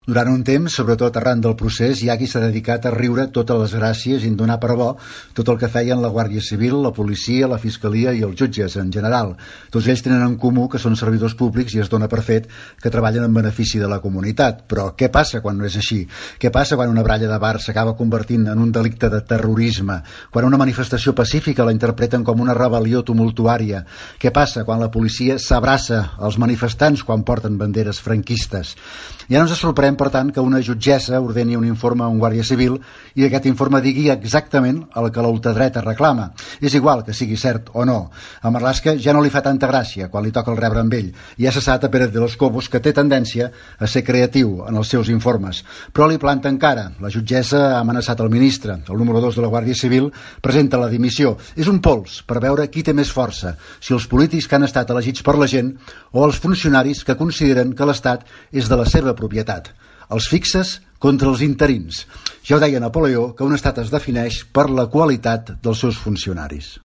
Durant un temps, sobretot arran del procés, hi ha qui s'ha dedicat a riure totes les gràcies i en donar per bo tot el que feien la Guàrdia Civil, la policia, la fiscalia i els jutges en general. Tots ells tenen en comú que són servidors públics i es dona per fet que treballen en benefici de la comunitat. Però què passa quan no és així? Què passa quan una bralla de bar s'acaba convertint en un delicte de terrorisme? Quan una manifestació pacífica la interpreten com una rebel·lió tumultuària? Què passa quan la policia s'abraça als manifestants quan porten banderes franquistes? Ja no ens sorprèn, per tant, que una jutgessa ordeni un informe a un guàrdia civil i aquest informe digui exactament el que la ultradreta reclama. És igual que sigui cert o no. A Marlaska ja no li fa tanta gràcia quan li toca el rebre amb ell. I ha cessat a Pérez de los Cobos, que té tendència a ser creatiu en els seus informes. Però li planta encara. La jutgessa ha amenaçat el ministre. El número 2 de la Guàrdia Civil presenta la dimissió. És un pols per veure qui té més força, si els polítics que han estat elegits per la gent o els funcionaris que consideren que l'Estat és de la seva propietat. Els fixes contra els interins. Ja ho deia Napoleó, que un estat es defineix per la qualitat dels seus funcionaris.